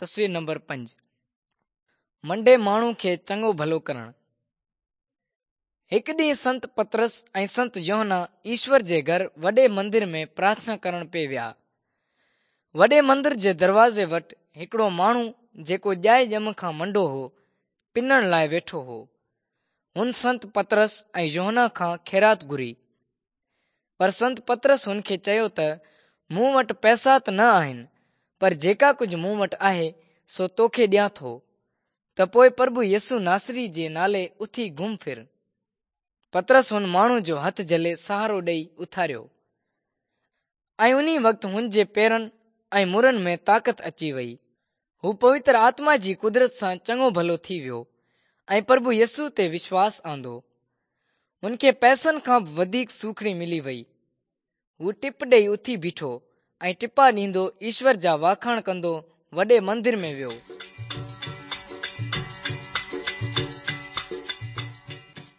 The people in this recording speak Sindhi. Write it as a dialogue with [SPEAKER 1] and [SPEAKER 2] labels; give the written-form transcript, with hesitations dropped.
[SPEAKER 1] تصوير نمبر 5 منڊي ماڻهو کي چڱو ڀلو ڪرڻ. هڪ ڏينهن سنت پطرس ۽ سنت يوحنا ايشور جي گهر وڏي مندر ۾ پرارٿنا ڪرڻ پئي ويا. وڏي مندر جي دروازي وٽ هڪڙو ماڻهو جيڪو ڄائي ڄم کان منڊو هو، پنڻ لاء ويٺو هو. هن سنت پطرس ۽ يوحنا کان خيرات گهري. پر سنت پطرس هن کي چيو ته مون وٽ پئسا ته نه آهن، پر جيڪا ڪجهه مون وٽ آهي، سو توکي ڏيان ٿو. ته پوء پرڀو يسوع ناصري جي نالي اٿي گهم ڦر. پطرس هن ماڻهو جو هٿ جهلي سهارو ڏئي اٿاريو ۽ انهي وقت هن جي پيرن ۽ مرن ۾ طاقت اچي وئي. هو پوتر آتما جي قدرت سان چڱو ڀلو ٿي ويو ۽ پرڀو يسوع تي وشواس آندو. هن کي پئسن کان به وڌيڪ سوکڙي ملي وئي. هو ٽپ ڏئي اٿي بيٺو ۽ ٽپا ڏيندو ايشور جا واکاڻ ڪندو وڏي مندر ۾ ويو.